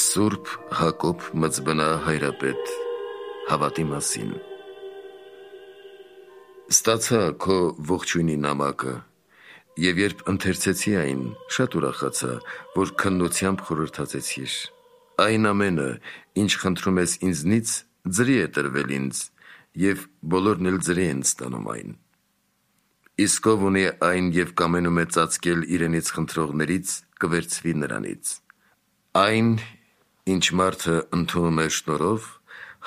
Սուրբ Հակոբ Մծբնա հայրապետ հավատի մասին։ Ստացա քո ողջույնի նամակը, և երբ ընթերցեցի այն, շատ ուրախացա, որ քննությամբ խորհրդածեցիր։ Այն ամենը, ինչ խնդրում ես ինձնից, ձրի է տրվել ինձ, և բոլորն էլ ձրի են ստանում այն։ Իսկ ով ունի այն և կամենում է ծածկել իրենից խնդրողներից, կվերցվի նրանից։ Այն, ինչ մարդը ընդունում է շնորհով,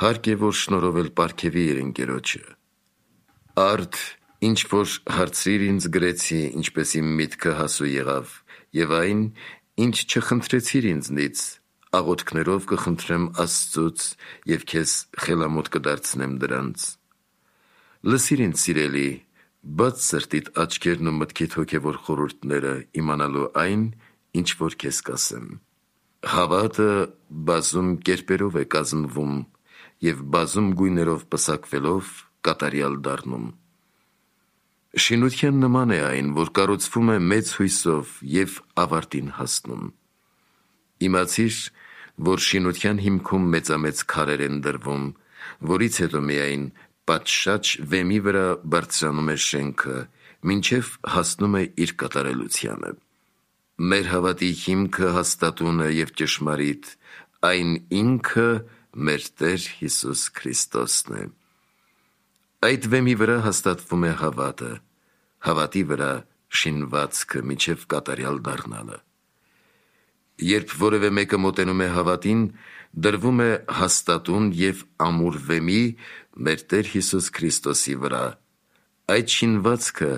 հարկ է, որ շնորհով էլ պարգևի իր ընկերոջը։ Արդ, ինչ որ հարցրիր ինձ գրեցի, ինչպես իմ միտքը հասու եղավ, և այն, ինչ չխնդրեցիր ինձնից, աղոթքներով կխնդրեմ Աստծուց և քեզ խելամոտ կդարձնեմ դրանց։ Լսիր ինձ սիրելի, բաց սրտիդ աչքերն ու մտքիդ հոգևոր խորհուրդները, իմանալու այն, ինչ որ քեզ կասեմ։ Հավատը բազում կերպերով է կազմվում և բազում գույներով պսակվելով կատարյալ դառնում։ Շինության նման է այն, որ կառուցվում է մեծ հույսով և ավարտին հասնում։ Իմացիր, որ շինության հիմքում մեծամեծ քարեր են դրվում, որից հետո միայն պատշաճ վեմի վրա բարձրանում է շենքը, մինչև հասնում է իր կատարելությանը։ Մեր հավատի հիմքը հաստատուն է և ճշմարիտ, այն ինքը մեր Տեր Հիսուս Քրիստոսն է։ Այդ վեմի վրա հաստատվում է հավատը, հավատի վրա շինվածքը մինչև կատարյալ դառնալը։ Երբ որևէ մեկը մոտենում է հավատին, դրվում է հաստատուն և ամուր վեմի մեր Տեր Հիսուս Քրիստոսի վրա, այդ շինվածքը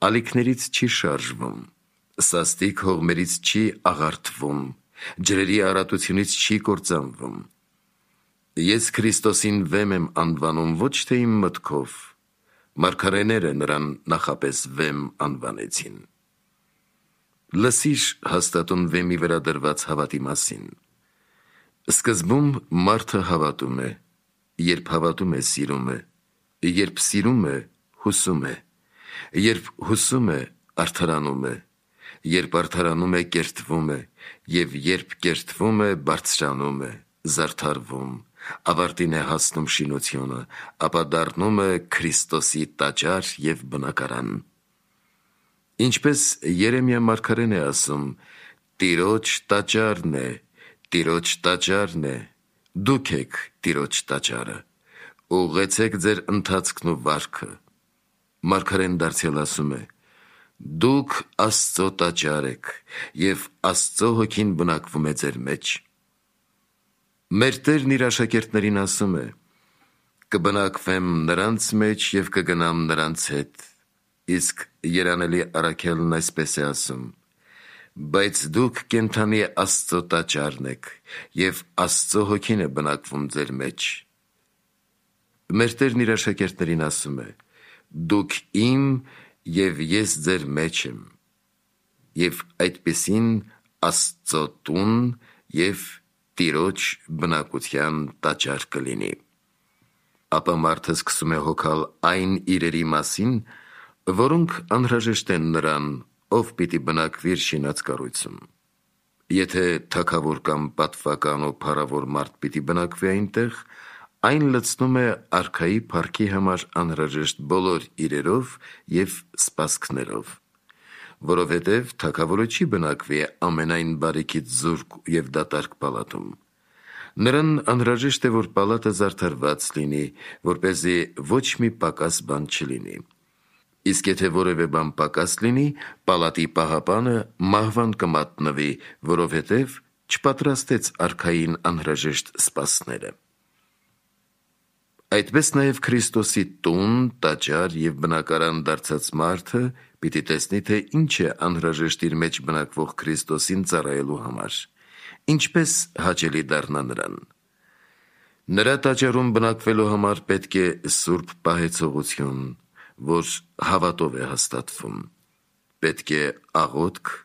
ալիքներից չի շարժվում, սաստիկ հողմերից չի աղարթվում, ջրերի արատությունից չի կործանվում։ Ես Քրիստոսին վեմ եմ անվանում ոչ թե իմ մտքով, մարգարեները նրան նախապես վեմ անվանեցին։ Լսիր հաստատուն վեմի վրա դրված հավատի մասին։ Սկզբում մարդը հավատում է, երբ հավատում է, սիրում է, երբ սիրում է, հուսում է, երբ հուսում է, արդարանում է, երբ արդարանում է, կերտվում է, և երբ կերտվում է, բարձրանում է, զարդարվում, ավարտին է հասնում շինությունը, ապա դառնում է Քրիստոսի տաճար և բնակարան։ Ինչպես Երեմիա մարգարեն է ասում. «Տիրոջ տաճարն է, Տիրոջ տաճարն է, դուք եք Տիրոջ տաճարը, ուղղեցեք ձեր ընթացքն ու վարքը»։ Մարգարեն դարձյալ ասում է. «Դուք Աստծո տաճար եք, և Աստծո հոգին բնակվում է ձեր մեջ»։ Մեր Տերն իր աշակերտներին ասում է. «Կբնակվեմ նրանց մեջ և կգնամ նրանց հետ», իսկ երանելի առաքյալն այսպես է ասում. «Բայց դուք կենդանի Աստծո տաճարն եք, և Աստծո հոգին է բնակվում ձեր մեջ»։ Մեր Տերն իր աշակերտներին ասում է. «Դուք իմ, և ես ձեր մեջ եմ», և այդպիսին Աստծո տուն և Տիրոջ բնակության տաճար կլինի։ Ապա մարդը սկսում է հոգալ այն իրերի մասին, որոնք անհրաժեշտ են նրան, ով պիտի բնակվի իր շինած կառույցում։ Եթե թագավոր կամ պատվական ու փառավոր մարդ պիտի բնակվի այնտեղ, այն լցնում է արքայի փառքի համար անհրաժեշտ բոլոր իրերով և սպասքներով։ Որովհետև թագավորը չի բնակվի ամենայն բարիքից զուրկ և դատարկ պալատում։ Նրան անհրաժեշտ է, որ պալատը զարդարված լինի, որպեսզի ոչ մի պակաս բան չլինի։ Իսկ եթե որևէ բան պակաս լինի, պալատի պահապանը մահվան կմատնվի, որովհետև չպատրաստեց արքային անհրաժեշտ սպասները։ Այդպես նաև Քրիստոսի տուն, տաճար և բնակարան դարձած մարդը պիտի տեսնի, թե ինչ է անհրաժեշտ իր մեջ բնակվող Քրիստոսին ծառայելու համար, ինչպես հաճելի դառնա նրան։ Նրա տաճարում բնակվելու համար պետք է սուրբ պահեցողություն, որ հավատով է հաստատվում։ Պետք է աղոթք,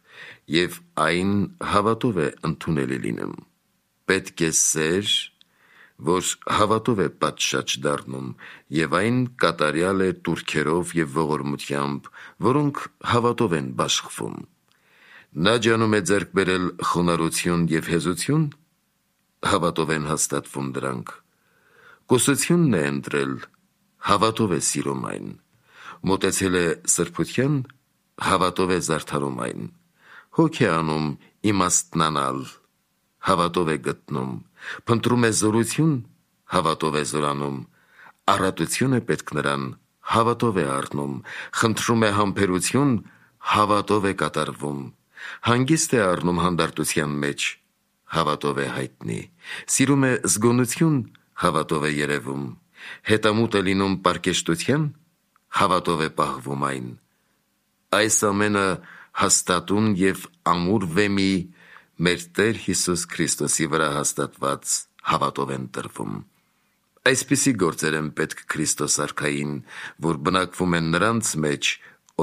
և այն հավատով է ընդունելի լինում։ Պետք է սեր, որ հավատով է պատշաճ դառնում, և այն կատարյալ է տուրքերով և ողորմությամբ, որոնք հավատով են բաշխվում։ Նա ջանում է ձեռք բերել խոնարհություն և հեզություն, հավատով են հաստատվում դրանք։ Կոսությունն է ընտրել, հավատով է սիրում այն։ Մոտեցել է սրբության, հավատով է զարդարում այն։ Հոգ է անում իմաստնանալ, հավատով է գտնում։ Փնտրում է զորություն, հավատով է զորանում։ Առատություն է պետք նրան, հավատով է առնում։ Խնդրում է համբերություն, հավատով է կատարվում։ Հանգիստ է առնում հանդարտության մեջ, հավատով է հայտնի։ Սիրում է զգոնություն, հավատով է երևում։ Հետամուտ է լինում պարկեշտության, հավատով է պահվում այն։ Այս ամենը հաստատուն և ամուր վեմի մեր Տեր Հիսուս Քրիստոսի վրա հաստատված հավատով են տրվում։ Այսպիսի գործեր են պետք Քրիստոս արքային, որ բնակվում են նրանց մեջ,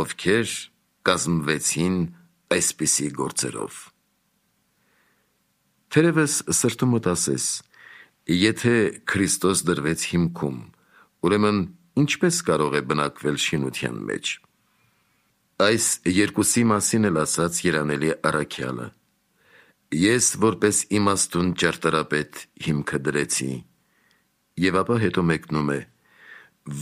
ովքեր կազմվեցին այսպիսի գործերով։ Թերևս սրտումդ ասես, եթե Քրիստոս դրվեց հիմքում, ուրեմն ինչպես կարող է բնակվել շինության մեջ։ Այս երկուսի մասին էլ ասաց երանելի առաքյալը. «Ես որպես իմաստուն ճարտարապետ հիմքը դրեցի», և ապա հետո մեկնում է.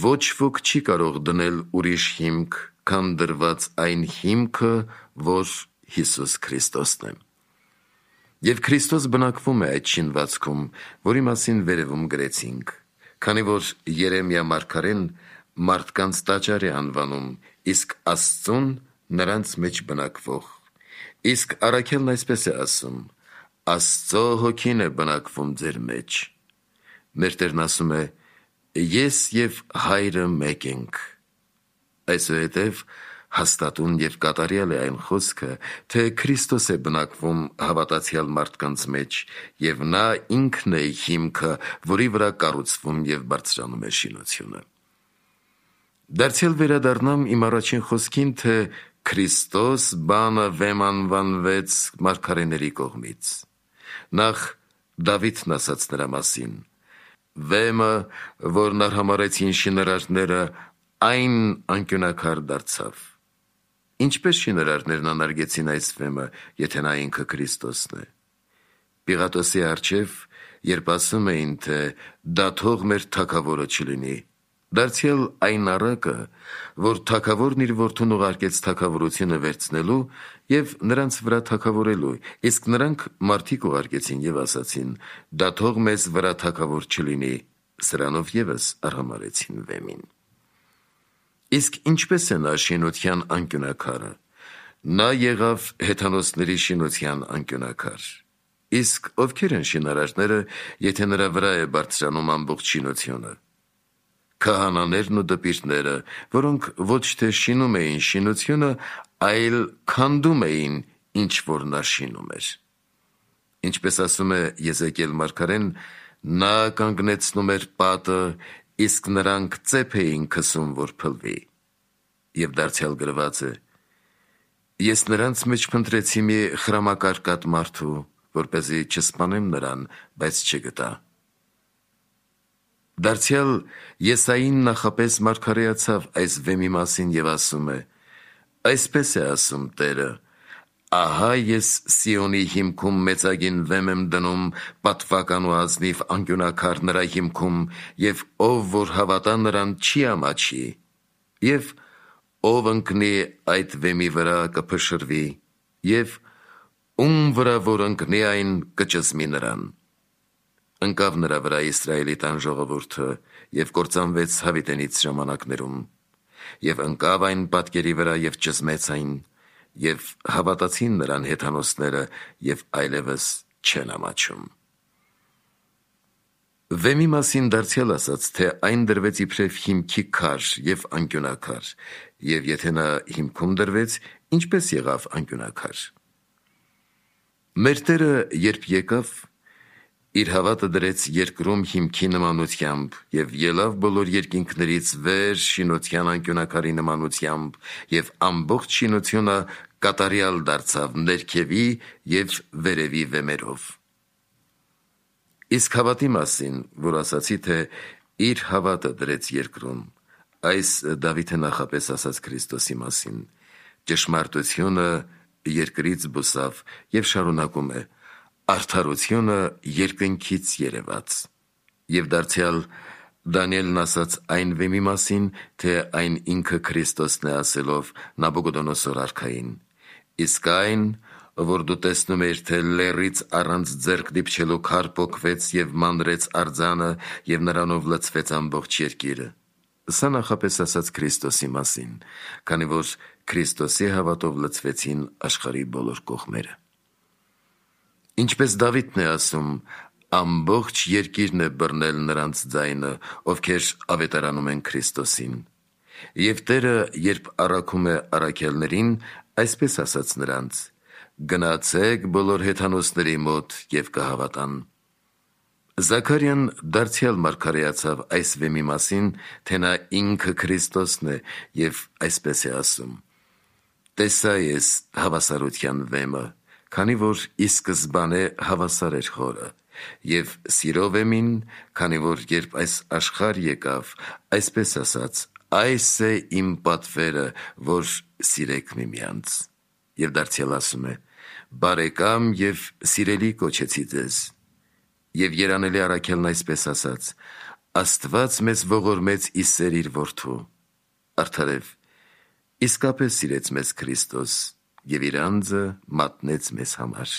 «Ոչ ոք չի կարող դնել ուրիշ հիմք, քան դրված այն հիմքը, որ Հիսուս Քրիստոսն է»։ Եվ Քրիստոս բնակվում է այդ շինվածքում, որի մասին վերևում գրեցինք, քանի որ Երեմիա մարգարեն մարդկանց տաճար է անվանում, իսկ Աստծուն նրանց մեջ բնակվող։ Իսկ առաքյալն այսպես է ասում. «Աստծո հոգին է բնակվում ձեր մեջ»։ Մեր Տերն ասում է. «Ես և Հայրը մեկ ենք»։ Այսուհետև հաստատուն և կատարյալ է այն խոսքը, թե Քրիստոս է բնակվում հավատացյալ մարդկանց մեջ, և նա ինքն է հիմքը, որի վրա կառուցվում և բարձրանում է շինությունը։ Դարձյալ վերադառնամ իմ առաջին խոսքին, թե Քրիստոս բանը վեմ անվանվեց մարգարեների կողմից։ Նախ Դավիթն ասաց նրա մասին. «Վեմը, որն արհամարհեցին շինարարները, այն անկյունաքար դարձավ»։ Ինչպես շինարարներն անարգեցին այս վեմը, եթե նա ինքը Քրիստոսն է։ Պիղատոսի առջև, երբ ասում էին, թե դա թող մեր թագավորը չլինի, դարձյալ այն առակը, որ թագավորն իր որդուն ուղարկեց թագավորությունը վերցնելու և նրանց վրա թագավորելու, իսկ նրանք մարդիկ ուղարկեցին և ասացին. դա թող մեզ վրա թագավոր չլինի, սրանով ևս արհամարհեցին վեմին։ Իսկ ինչպես է նա շինության անկյունաքարը։ Նա եղավ հեթանոսների շինության անկյունաքար։ Իսկ ովքեր են շինարարները, եթե նրա վրա է բարձրանում ամբողջ շինությունը։ Քահանաներն ու դպիրները, որոնք ոչ թե շինում էին շինությունը, այլ քանդում էին, ինչ որ նա շինում էր։ Ինչպես ասում է Եզեկիել մարգարեն, նա կանգնեցնում էր պատը, իսկ նրանք ծեփ էին քսում, որ փլվի։ Եվ դարձյալ գրված է. «Ես նրանց մեջ փնտրեցի մի խրամակարկատ մարդու, որպեսզի չսպանեմ նրան, բայց չգտա»։ Դարձյալ Եսային նախապես մարգարեացավ այս վեմի մասին և ասում է. «Այսպես է ասում Տերը. ահա ես Սիոնի հիմքում մեծագին վեմ եմ դնում, պատվական ու ազնիվ անկյունաքար նրա հիմքում, և ով որ հավատա նրան չի ամաչի, և ով ընկնի այդ վեմի վրա կփշրվի, և ում վրա որ ընկնի այն կճզմի նրան»։ Ընկավ նրա վրա Իսրայելի տան ժողովուրդը և կործանվեց հավիտենից ժամանակներում, և ընկավ այն պատկերի վրա և ճզմեց այն, և հավատացին նրան հեթանոսները և այլևս չեն ամաչում։ Վեմի մասին դարձյալ ասաց, թե այն դրվեց իբրև հիմքի քար և անկյունաքար, և եթե նա հիմքում դրվեց, ինչպես եղավ անկյունաքար։ Մեր Տերը երբ եկավ, իր հավատը դրեց երկրում հիմքի նմանությամբ և ելավ բոլոր երկինքներից վեր շինության անկյունաքարի նմանությամբ, և ամբողջ շինությունը կատարյալ դարձավ ներքևի և վերևի վեմերով։ Իսկ հավատի մասին, որ ասացի, թե իր հավատը դրեց երկրում, այս Դավիթը նախապես ասաց Քրիստոսի մասին. ճշմարտությունը երկրից բուսավ և շարունակում է. արդարությունը երկնքից երևաց։ Եվ դարձյալ Դանիելն ասաց այն վեմի մասին, թե այն ինքը Քրիստոսն է ասելով Նաբուկոդոնոսոր արքային. իսկ այն, որ դու տեսնում ես, թե լեռից առանց ձեռք դիպչելու քար պոկվեց և մանրեց արձանը և նրանով լցվեց ամբողջ երկիրը։ Սա նախապես ասաց Քրիստոսի մասին, քանի որ Քրիստոսի հավատով լցվեցին աշխարհի բոլոր կողմերը։ Ինչպես Դավիթն է ասում, ամբողջ երկիրն է բռնել նրանց ձայնը, ովքեր ավետարանում են Քրիստոսին։ Եվ Տերը, երբ առաքում է առաքյալներին, այսպես ասաց նրանց. «Գնացեք բոլոր հեթանոսների մոտ և կհավատան»։ Զաքարիան դարձյալ մարգարեացավ այս վեմի մասին, թե նա ինքը Քրիստոսն է, և այսպես է ասում. «Տեսա ես հավասարության վեմը, քանի որ ի սկզբանե հավասար էր խորը, և սիրո վեմին, քանի որ երբ այս աշխարհ եկավ, այսպես ասաց. այս է իմ պատվերը, որ սիրեք միմյանց»։ Եվ դարձյալ ասում է. «Բարեկամ և սիրելի կոչեցի ձեզ»։ Եվ երանելի առաքյալն այսպես ասաց. «Աստված մեզ ողորմեց ի սեր իր որդու»։ Արդարև, իսկապես սիրեց մեզ Քրիստոս և իր անձը մատնեց մեզ համար։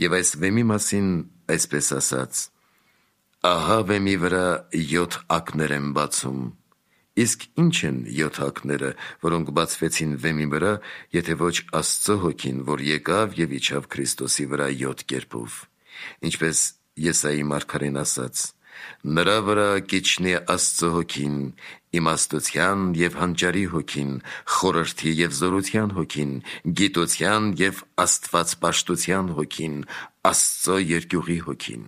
Եվ այս վեմի մասին այսպես ասաց. «Ահա վեմի վրա 7 ակներ եմ բացում»։ Իսկ ի՞նչ են 7 ակները, որոնք բացվեցին վեմի վրա, եթե ոչ Աստծո հոգին, որ եկավ և իջավ Քրիստոսի վրա 7 կերպով։ Ինչպես Եսայի մարգարեն ասաց. «Նրա վրա կիջնի Աստծո հոգին, իմաստության և հանճարի հոգին, խորհրդի և զորության հոգին, գիտության և աստվածպաշտության հոգին, Աստծո երկյուղի հոգին»։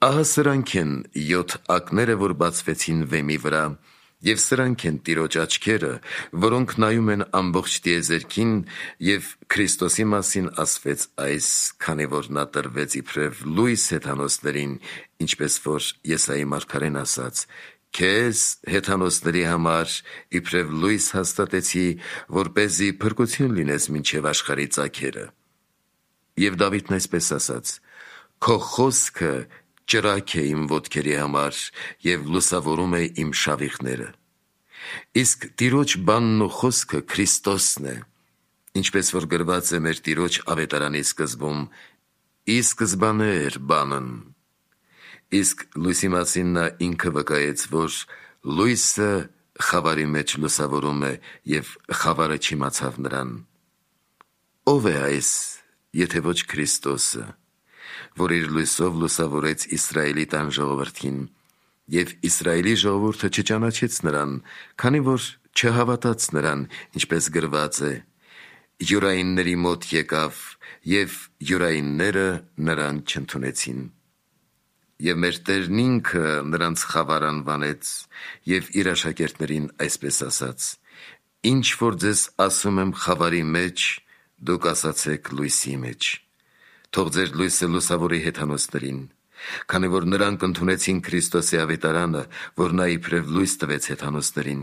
Ահա սրանք են 7 ակները, որ բացվեցին վեմի վրա, և սրանք են Տիրոջ աչքերը, որոնք նայում են ամբողջ տիեզերքին, և Քրիստոսի մասին ասվեց այս, քանի որ նա տրվեց իբրև լույս հեթանոսներին, ինչպես որ Եսայի մարգարեն ասաց. «Քեզ հեթանոսների համար իբրև լույս հաստատեցի, որպեսզի փրկություն լինես մինչև աշխարհի ծագերը»։ Եվ Դավիթն այսպես ասաց. «Քո խոսքը ճրագ է իմ ոտքերի համար և լուսավորում է իմ շավիղները»։ Իսկ Տիրոջ բանն ու խոսքը Քրիստոսն է, ինչպես որ գրված է մեր Տիրոջ ավետարանի սկզբում. «Ի սկզբանե էր բանն»։ Իսկ լույսի մասին նա ինքը վկայեց, որ լույսը խավարի մեջ լուսավորում է, և խավարը չիմացավ նրան։ Ո՞վ է այս, եթե ոչ Քրիստոսը, որ իր լույսով լուսավորեց Իսրայելի տան ժողովրդին, և Իսրայելի ժողովուրդը չճանաչեց նրան, քանի որ չհավատաց նրան, ինչպես գրված է. «Յուրայինների մոտ եկավ, և յուրայինները նրան չընդունեցին»։ Եվ մեր Տերն ինքը նրանց խավար անվանեց և իր աշակերտներին այսպես ասաց. «Ինչ որ ձեզ ասում եմ խավարի մեջ, դուք ասացեք լույսի մեջ»։ Թող ձեր լույսը լուսավորի հեթանոսներին, քանի որ նրանք ընդունեցին Քրիստոսի ավետարանը, որ նա իբրև լույս տվեց հեթանոսներին,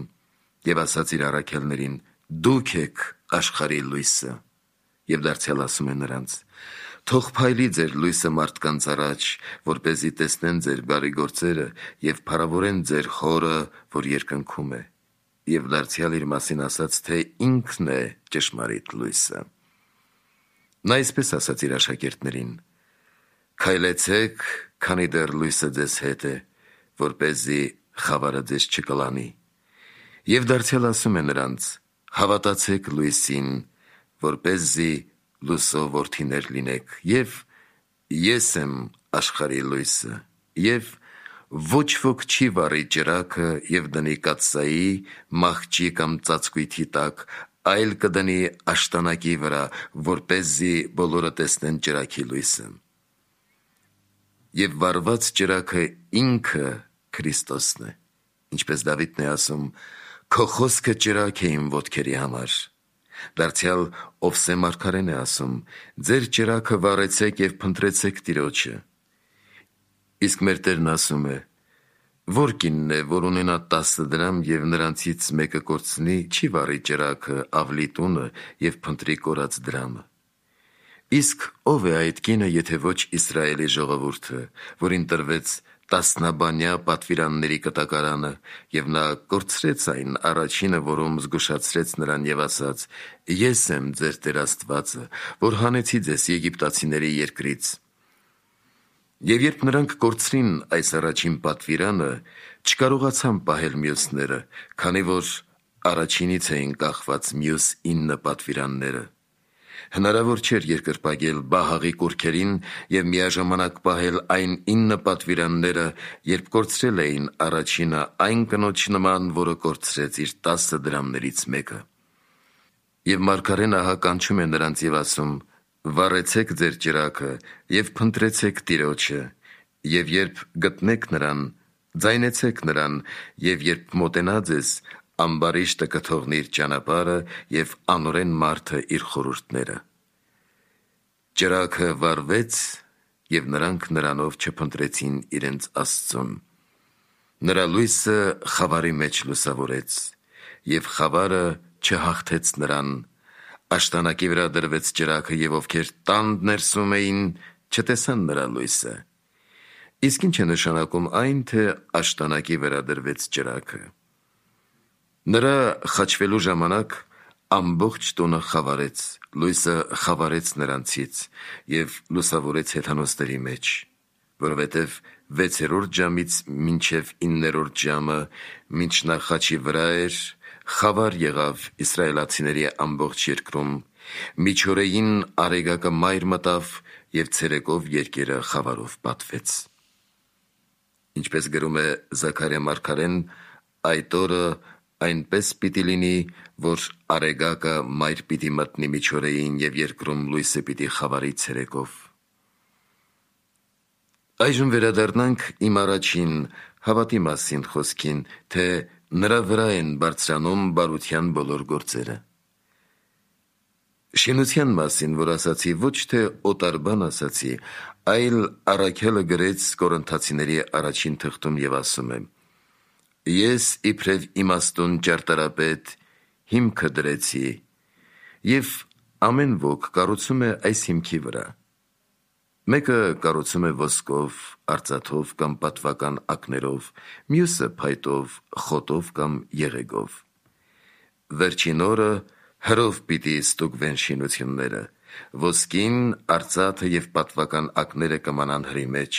և ասաց իր առաքյալներին. «Դուք եք աշխարհի լույսը»։ Եվ դարձյալ ասում է նրանց. «Թող փայլի ձեր լույսը մարդկանց առաջ, որպեսզի տեսնեն ձեր բարի գործերը և փառավորեն ձեր Հորը, որ երկնքում է»։ Եվ դարձյալ իր մասին ասաց, թե ինքն է ճշմարիտ լույսը։ Նա այսպես ասաց իր աշակերտներին. «Քայլեցեք, քանի դեռ լույսը ձեզ հետ է, որպեսզի խավարը ձեզ չկլանի»։ Եվ դարձյալ ասում է նրանց. «Հավատացեք լույսին, որպեսզի լույսով որդիներ լինեք, և ես եմ աշխարհի լույսը»։ Եվ ոչ ոք չի վառի ճրագը և դնի կաթսայի, մահճի կամ ծածկույթի տակ, այլ կդնի աշտանակի վրա, որպեսզի բոլորը տեսնեն ճրագի լույսը։ Եվ վառված ճրագը ինքը Քրիստոսն է, ինչպես Դավիթն է ասում. «Քո խոսքը ճրագ է իմ ոտքերի համար»։ Դարձյալ Ովսե մարգարեն է ասում. «Ձեր ճրագը վառեցեք և փնտրեցեք Տիրոջը»։ Իսկ մեր Տերն ասում է. «Ո՞ր կինն է, որ ունենա 10 դրամ և նրանցից մեկը կորցնի, չի վառի ճրագը, ավլի տունը և փնտրի կորած դրամը։ Իսկ ով է այդ կինը, եթե ոչ Իսրայելի ժողովուրդը, որին տրվեց տասնաբանյա պատվիրանների կտակարանը, և նա կորցրեց այն առաջինը, որում զգուշացրեց նրան և ասաց. «Ես եմ ձեր Տեր Աստվածը, որ հանեցի ձեզ Եգիպտացիների երկրից»։ Եվ երբ նրանք կորցրին այս առաջին պատվիրանը, չկարողացան պահել մյուսները, քանի որ առաջինից էին կախված մյուս 9 պատվիրանները։ Հնարավոր չէր երկրպագել Բահաղի կուռքերին և միաժամանակ պահել այն 9 պատվիրանները, երբ կորցրել էին առաջինը այն կնոջ նման, որը կորցրեց իր 10 դրամներից մեկը։ Եվ մարգարեն ահա կանչում է նրանց և ասում. «Վառեցեք ձեր ճրագը և փնտրեցեք Տիրոջը, և երբ գտնեք նրան, ձայնեցեք նրան, և երբ մոտենա ձեզ, ամբարիշտը կթողնի իր ճանապարհը և անօրեն մարդը իր խորհուրդները»։ Ճրագը վառվեց, և նրանք նրանով չփնտրեցին իրենց Աստծուն։ Նրա լույսը խավարի մեջ լուսավորեց, և խավարը չհաղթեց նրան։ Աշտանակի վրա դրվեց ճրագը, և ովքեր տան ներսում էին, չտեսան նրա լույսը։ Իսկ ինչ է նշանակում այն, թե աշտանակի վրա դրվեց ճրագը։ Նրա խաչվելու ժամանակ ամբողջ տունը խավարեց, լույսը խավարեց նրանցից և լուսավորեց հեթանոսների մեջ, որովհետև 6-րդ ժամից մինչև 9-րդ ժամը, մինչ նա խաչի վրա էր, խավար եղավ իսրայելացիների ամբողջ երկրում, միջօրեին արեգակը մայր մտավ, և ցերեկով երկիրը խավարով պատվեց։ Ինչպես գրում է Զաքարիա մարգարեն, այդ օրը այնպես պիտի լինի, որ արեգակը մայր պիտի մտնի միջօրեին, և երկրում լույսը պիտի խավարի ցերեկով։ Այժմ վերադառնանք իմ առաջին հավատի մասին խոսքին, թե նրա վրա են բարձրանում բարության բոլոր գործերը։ Շինության մասին, որ ասացի, ոչ թե օտար բան ասացի, այլ առաքյալը գրեց Կորինթացիների առաջին թղթում և ասում է. «Ես իբրև իմաստուն ճարտարապետ հիմքը դրեցի, և ամեն ոք կառուցում է այս հիմքի վրա։ Մեկը կառուցում է ոսկով, արծաթով կամ պատվական ակներով, մյուսը փայտով, խոտով կամ եղեգով։ Վերջին օրը հրով պիտի ստուգվեն շինությունները. ոսկին, արծաթը և պատվական ակները կմանան հրի մեջ,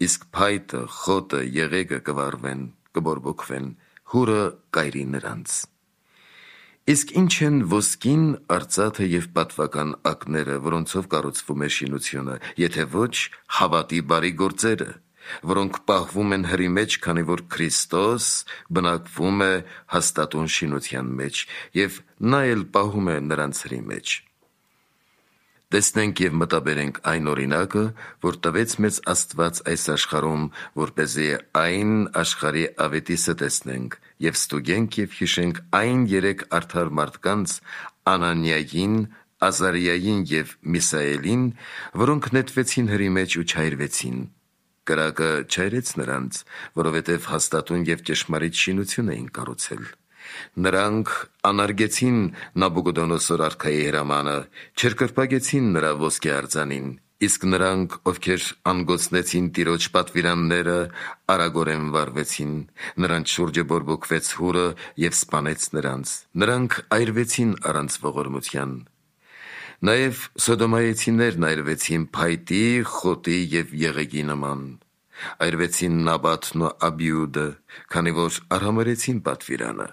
իսկ փայտը, խոտը, եղեգը կվառվեն, կբորբոքվեն, հուրը կայրի նրանց։ Իսկ ինչ են ոսկին, արծաթը և պատվական ակները, որոնցով կառուցվում է շինությունը, եթե ոչ հավատի բարի գործերը, որոնք պահվում են հրի մեջ, քանի որ Քրիստոս բնակվում է հաստատուն շինության մեջ, և նա էլ պահում է նրանց հրի մեջ։ Տեսնենք և մտաբերենք այն օրինակը, որ տվեց մեզ Աստված այս աշխարհում, որպեսզի այն աշխարհի ավետիսը տեսնենք և ստուգենք և հիշենք այն 3 արդար մարդկանց՝ Անանիային, Ազարիային և Միսայելին, որոնք նետվեցին հրի մեջ ու չայրվեցին։ Կրակը չայրեց նրանց, որովհետև հաստատուն և ճշմարիտ շինություն էին կառուցել։ Նրանք անարգեցին Նաբուգոդոնոսոր արքայի հրամանը, չերկրպագեցին նրա ոսկե արձանին, իսկ նրանք, ովքեր անգոցնեցին Տիրոջ պատվիրանները, արագորեն վառվեցին, նրանց շուրջը բորբոքվեց հուրը և սպանեց նրանց, նրանք այրվեցին առանց ողորմության։ Նաև սոդոմայեցիներն այրվեցին փայտի, խոտի և եղեգի նման։ Այրվեցին Նաբաթն ու Աբիուդը, քանի որ արհամարհեցին պատվիրանը։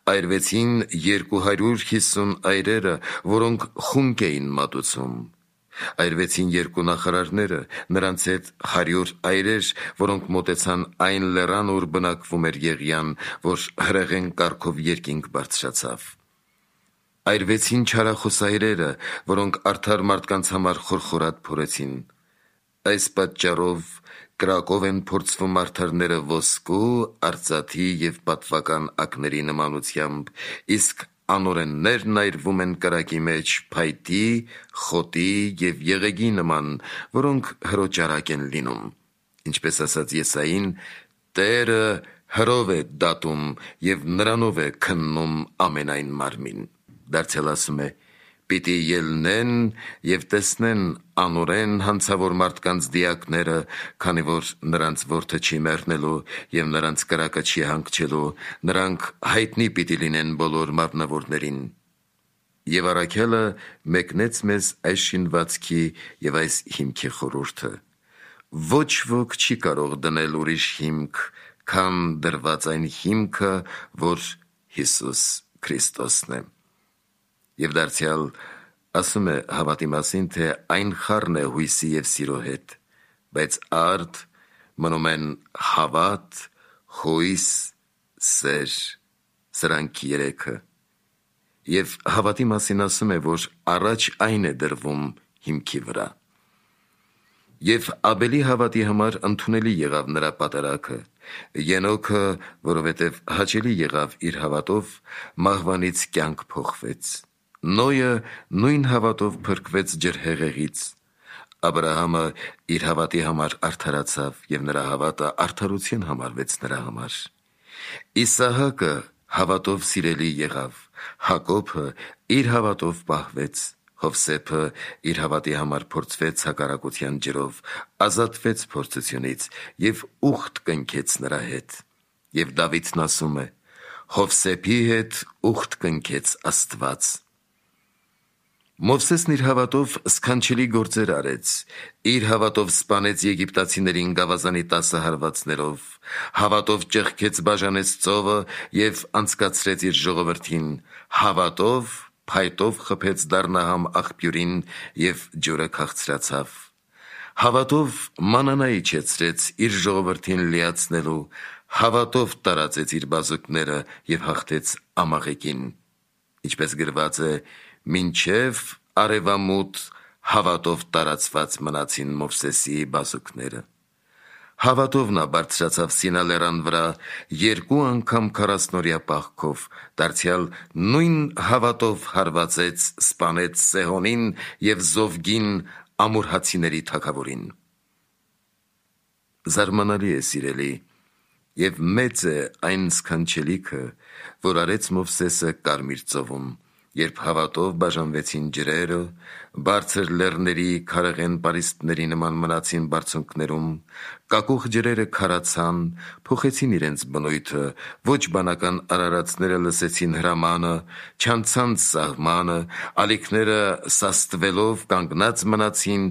Այրվեցին 250 այրերը, որոնք խունկ էին մատուցում։ Այրվեցին 2 նախարարները, նրանց հետ 100 այրեր, որոնք մոտեցան այն լեռան, ուր բնակվում էր Եղիան, որ հրեղեն կարգով երկինք բարձրացավ։ Այրվեցին չարախոս այրերը, որոնք արդար մարդկանց համար խորխորատ փորեցին։ Այս պատճառով կրակով են փորձվում արդարները ոսկու, արծաթի և պատվական ակների նմանությամբ, իսկ անօրեններն այրվում են կրակի մեջ փայտի, խոտի և եղեգի նման, որոնք հրոճարակ են լինում։ Ինչպես ասաց Եսային. «Տերը հրով է դատում և նրանով է քննում ամենայն մարմին»։ Դարձյալ ասում է. պիտի ելնեն և տեսնեն անօրեն հանցավոր մարդկանց դիակները, քանի որ նրանց որդը չի մեռնելու և նրանց կրակը չի հանգչելու, նրանք հայտնի պիտի լինեն բոլոր մարմնավորներին։ Եվ առաքյալը մեկնեց մեզ այս շինվածքի և այս հիմքի խորհուրդը. ոչ ոք չի կարող դնել ուրիշ հիմք, քան դրված այն հիմքը, որ Հիսուս Քրիստոսն է։ Եվ դարձյալ ասում է հավատի մասին, թե այն խառն է հույսի և սիրո հետ, բայց արդ մնում են հավատ, հույս, սեր, սրանք երեքը։ Եվ հավատի մասին ասում է, որ առաջ այն է դրվում հիմքի վրա։ Եվ Աբելի հավատի համար ընդունելի եղավ նրա պատարագը, Ենոքը, որովհետև հաճելի եղավ իր հավատով, մահվանից կյանք փոխվեց, Նոյը նույն հավատով փրկվեց ջրհեղեղից, Աբրահամը իր հավատի համար արդարացավ, և նրա հավատը արդարություն համարվեց նրա համար, Իսահակը հավատով սիրելի եղավ, Հակոբը իր հավատով պահվեց, Հովսեփը իր հավատի համար փորձվեց հակառակության ջրով, ազատվեց փորձությունից և ուխտ կնքեց նրա հետ։ Եվ Դավիթն ասում է. Հովսեփի հետ ուխտ կնքեց Աստված։ Մովսեսն իր հավատով սքանչելի գործեր արեց, իր հավատով սպանեց եգիպտացիներին գավազանի 10 հարվածներով, հավատով ճեղքեց բաժանեց ծովը և անցկացրեց իր ժողովրդին, հավատով փայտով խփեց Դառնահամ աղբյուրին և ջուրը քաղցրացավ, հավատով մանանա իջեցրեց իր ժողովրդին լիացնելու, հավատով տարածեց իր բազուկները և հաղթեց Ամաղեկին, ինչպես գրված է. մինչև արևամուտ հավատով տարածված մնացին Մովսեսի բազուկները։ Հավատով նա բարձրացավ Սինա լեռան վրա 2 անգամ 40-օրյա պահքով, դարձյալ նույն հավատով հարվածեց, սպանեց Սեհոնին և Զովգին ամորհացիների թագավորին։ Զարմանալի է, սիրելի, և մեծ է այն սքանչելիքը, որ արեց Մովսեսը Կարմիր ծովում, երբ հավատով բաժանվեցին ջրերը, բարձր լեռների քարեղեն պարիսպների նման մնացին բարձունքներում, կակուղ ջրերը քարացան, փոխեցին իրենց բնույթը, ոչ բանական արարածները լսեցին հրամանը, չանցան սահմանը, ալիքները սաստվելով կանգնած մնացին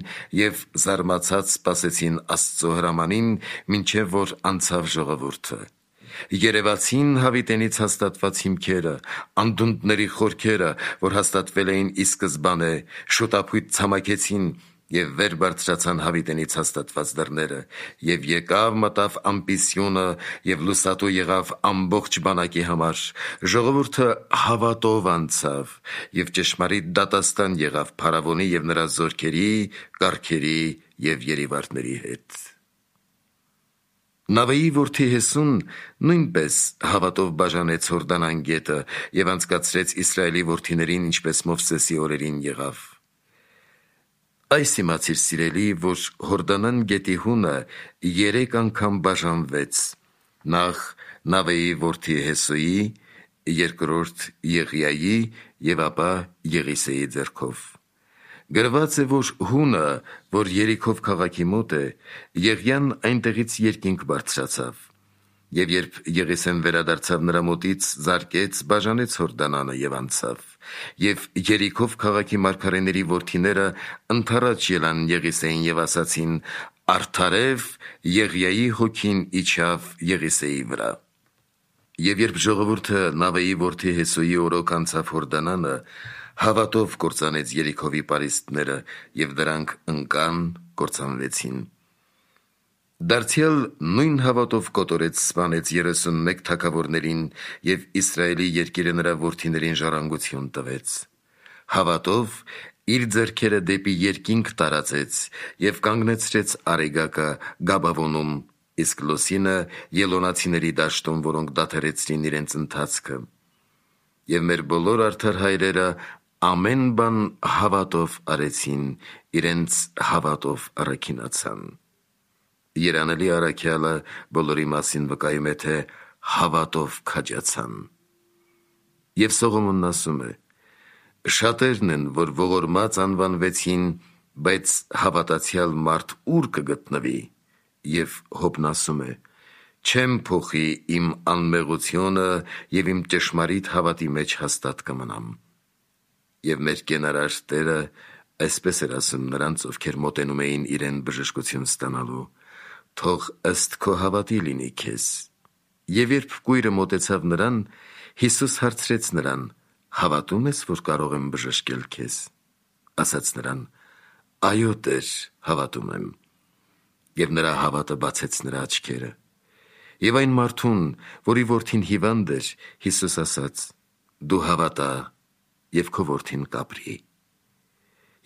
և զարմացած սպասեցին Աստծո հրամանին, մինչև որ անցավ ժողովուրդը։ Երևացին հավիտենից հաստատված հիմքերը, անդունդների խորքերը, որ հաստատվել էին ի սկզբանե, շուտափույթ ցամաքեցին և վեր բարձրացան հավիտենից հաստատված դռները, և եկավ մտավ ամպիսյունը և լուսատու եղավ ամբողջ բանակի համար, ժողովուրդը հավատով անցավ և ճշմարիտ դատաստան եղավ փարավոնի և նրա զորքերի, կառքերի և երիվարտների հետ։ Նավեի որդի Հեսուն նույնպես հավատով բաժանեց Հորդանան գետը և անցկացրեց Իսրայելի որդիներին, ինչպես Մովսեսի օրերին եղավ։ Այս իմացիր, սիրելի, որ Հորդանան գետի հունը 3 անգամ բաժանվեց, նախ Նավեի որդի Հեսուի, երկրորդ Եղիայի և ապա Եղիսեի ձեռքով։ Գրված է, որ հունը, որ Երիքով քաղաքի մոտ է, Եղիան այնտեղից երկինք բարձրացավ, և երբ Եղիսեն վերադարձավ նրա մոտից, զարկեց, բաժանեց Հորդանանը և անցավ, և Երիքով քաղաքի մարգարեների որդիները ընդառաջ ելան Եղիսեին և ասացին. արդարև Եղիայի հոգին իջավ Եղիսեի վրա։ Եվ երբ ժողովուրդը Նավեի որդի Հեսուի օրոք անցավ Հորդանանը, հավատով կործանեց Երիքովի պարիսպները, և դրանք ընկան, կործանվեցին։ Դարձյալ նույն հավատով կոտորեց, սպանեց 31 թագավորներին և Իսրայելի երկիրը նրա որդիներին ժառանգություն տվեց։ Հավատով իր ձեռքերը դեպի երկինք տարածեց և կանգնեցրեց Արեգակը Գաբավոնում, իսկ Լոսինը Ելոնացիների դաշտում, որոնք դադարեցրին իրենց ընթացքը։ Եվ մեր բոլոր արդար հայրերը ամեն բան հավատով արեցին, իրենց հավատով առաքինացան։ Երանելի առաքյալը բոլորի մասին վկայում է, թե հավատով քաջացան։ Եվ Սողոմոնն ասում է. Շատերն են, որ ողորմած անվանվեցին, բայց հավատացյալ մարդ ուր կգտնվի, և Հոբն ասում է. չեմ փոխի իմ անմեղությունը և իմ ճշմարիտ հավատի մեջ հաստատ կմնամ։ Եվ մեր կենարար Տերը այսպես էր ասում նրանց, ովքեր մոտենում էին իրեն բժշկություն ստանալու. թող ըստ քո հավատի լինի քեզ։ Եվ երբ կույրը մոտեցավ նրան, Հիսուս հարցրեց նրան. հավատում ես, որ կարող եմ բժշկել քեզ։ Ասաց նրան. այո Տեր, հավատում եմ։ Եվ նրա հավատը բացեց նրա աչքերը։ Եվ այն մարդուն, որի որդին հիվանդ էր, Հիսուս ասաց. դու հավատա, և քո որդին կապրի։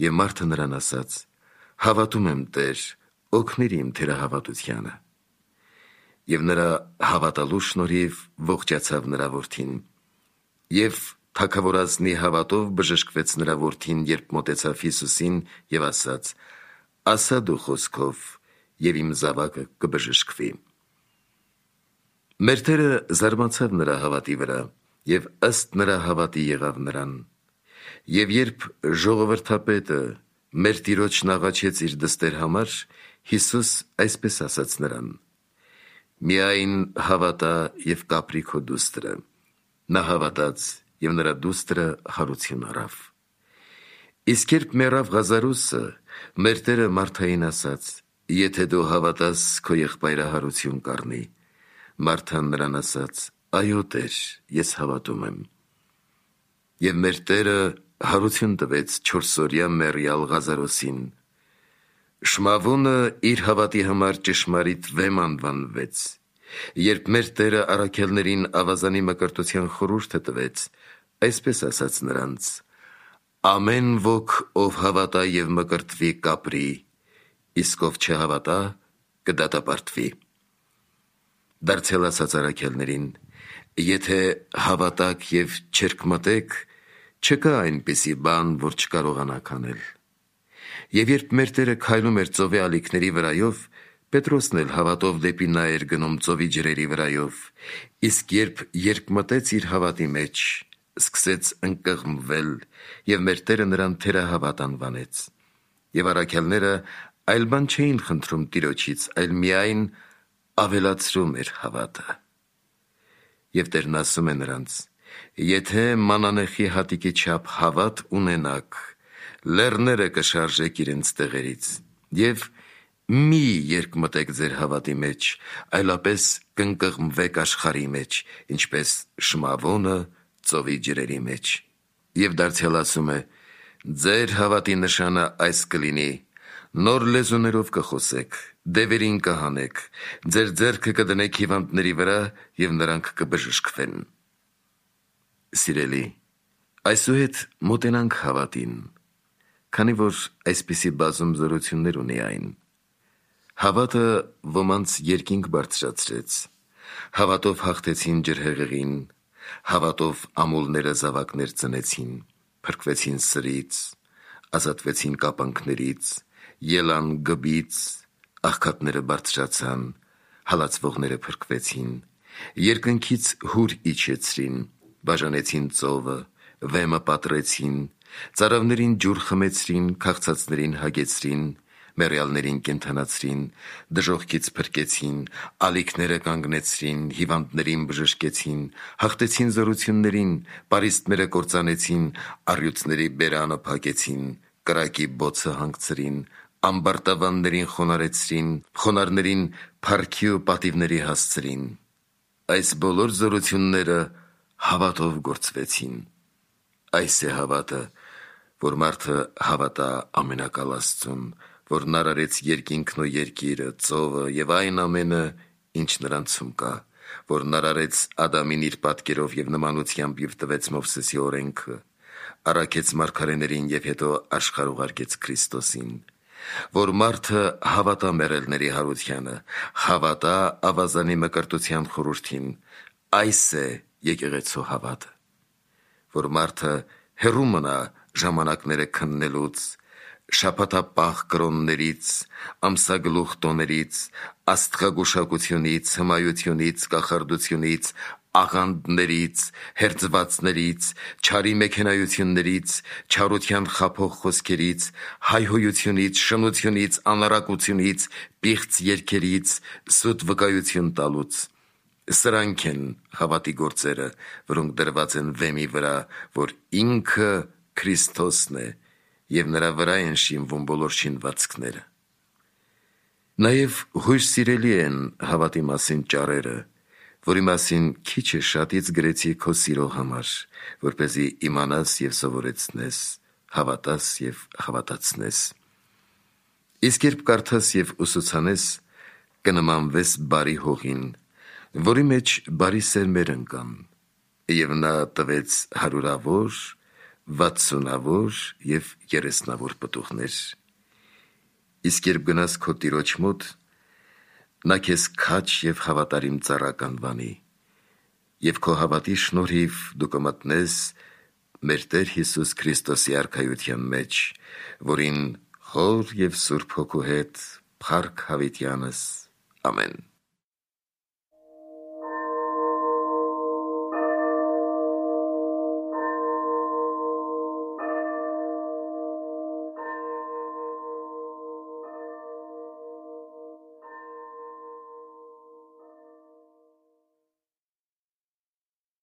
Եվ մարդը նրան ասաց. հավատում եմ Տեր, օգնիր իմ թերահավատությանը։ Եվ նրա հավատալու շնորհիվ ողջացավ նրա որդին։ Եվ թագավորազնի հավատով բժշկվեց նրա որդին, երբ մոտեցավ Հիսուսին և ասաց. ասա դու խոսքով, և իմ զավակը կբժշկվի։ Մեր Տերը զարմացավ նրա հավատի վրա, և ըստ նրա հավատի եղավ նրան։ Եվ երբ ժողովրդապետը մեր Տիրոջն աղաչեց իր դստեր համար, Հիսուս այսպես ասաց նրան. միայն հավատա և կապրի քո դուստրը։ Նա հավատաց, և նրա դուստրը հարություն առավ։ Իսկ երբ մեռավ Ղազարոսը, մեր Տերը Մարթային ասաց. եթե դու հավատաս, քո եղբայրը հարություն կառնի։ Մարթան նրան ասաց. այո Տեր, ես հավատում եմ։ Եվ մեր Տերը հարություն տվեց 4-օրյա մեռյալ Ղազարոսին։ Շմավոնը իր հավատի համար ճշմարիտ վեմ անվանվեց։ Երբ մեր Տերը առաքյալներին ավազանի մկրտության խորհուրդը տվեց, այսպես ասաց նրանց. ամեն ոք, ով հավատա և մկրտվի, կապրի, իսկ ով չհավատա, կդատապարտվի։ Դարձյալ ասաց առաքյալներին. եթե հավատաք և չերկմտեք, չկա այնպիսի բան, որ չկարողանաք անել։ Եվ երբ մեր Տերը քայլում էր ծովի ալիքների վրայով, Պետրոսն էլ հավատով դեպի նա էր գնում ծովի ջրերի վրայով, իսկ երբ երկմտեց իր հավատի մեջ, սկսեց ընկղմվել, և մեր Տերը նրան թերահավատ անվանեց։ Եվ առաքյալները այլ բան չէին խնդրում Տիրոջից, այլ միայն ավելացրում էր հավատը։ Եվ Տերն ասում է նրանց. եթե մանանեխի հատիկի չափ հավատ ունենաք, լեռները կշարժեք իրենց տեղերից, և մի երկմտեք ձեր հավատի մեջ, այլապես կընկղմվեք աշխարհի մեջ, ինչպես շմավոնը ծովի ջրերի մեջ։ Եվ դարձյալ ասում է. ձեր հավատի նշանը այս կլինի. նոր լեզուներով կխոսեք, դևերին կհանեք, ձեր ձեռքը կդնեք հիվանդների վրա, և նրանք կբժշկվեն։ Սիրելի, այսուհետ մոտենանք հավատին, քանի որ այսպիսի բազում զորություններ ունի այն։ Հավատը ոմանց երկինք բարձրացրեց, հավատով հաղթեցին ջրհեղեղին, հավատով ամուլները զավակներ ծնեցին, փրկվեցին սրից, ազատվեցին կապանքներից, ելան գբից, աղքատները բարձրացան, հալածվողները փրկվեցին, երկնքից հուր իջեցրին, բաժանեցին ծովը, վեմը պատռեցին, ծարավներին ջուր խմեցրին, քաղցածներին հագեցրին, մեռյալներին կենդանացրին, դժոխքից փրկեցին, ալիքները կանգնեցրին, հիվանդներին բժշկեցին, հաղթեցին զորություններին, պարիսպները կործանեցին, առյուծների բերանը փակեցին, կրակի բոցը հանգցրին, ամբարտավաններին խոնարհեցրին, խոնարհներին փառքի ու պատիվների հասցրին։ Այս բոլոր զորությունները հավատով գործվեցին։ Այս է հավատը, որ մարդը հավատա ամենակալ Աստծուն, որն արարեց երկինքն ու երկիրը, ծովը և այն ամենը, ինչ նրանցում կա, որն արարեց Ադամին իր պատկերով և նմանությամբ և տվեց Մովսեսի օրենքը, առաքեց մարգարեներին և հետո աշխարհ ուղարկեց Քրիստոսին, որ մարդը հավատա մեռելների հարությանը, հավատա ավազանի մկրտության խորհրդին, այս է եկեղեցու հավատը, որ մարդը հեռու մնա ժամանակները քննելուց, շաբաթապահ կրոններից, ամսագլուխ տոներից, աստղագուշակությունից, հմայությունից, կախարդությունից, աղանդներից, հերձվածներից, չարի մեքենայություններից, չարության խաբող խոսքերից, հայհոյությունից, շնությունից, անառակությունից, պիղծ երգերից, սուտ վկայություն տալուց։ Սրանք են հավատի գործերը, որոնք դրված են վեմի վրա, որ ինքը Քրիստոսն է, և նրա վրա են շինվում բոլոր շինվածքները։ Նաև հույժ սիրելի են հավատի մասին ճառերը, որի մասին քիչ է շատից գրեցի քո սիրո համար, որպեսզի իմանաս և սովորեցնես, հավատաս և հավատացնես։ Իսկ երբ կարդաս և ուսուցանես, կնմանվես բարի հողին, որի մեջ բարի սերմեր ընկան, և նա տվեց 100-ավոր, 60-ավոր և 30-ավոր պտուղներ։ Իսկ երբ գնաս քո տիրոջ մոտ, նա քեզ քաջ և հավատարիմ ծառա կանվանի, և քո հավատի շնորհիվ դու կմտնես մեր Տեր Հիսուս Քրիստոսի արքայության մեջ, որին Հոր և Սուրբ Հոգու հետ փառք հավիտյանս։ Ամեն։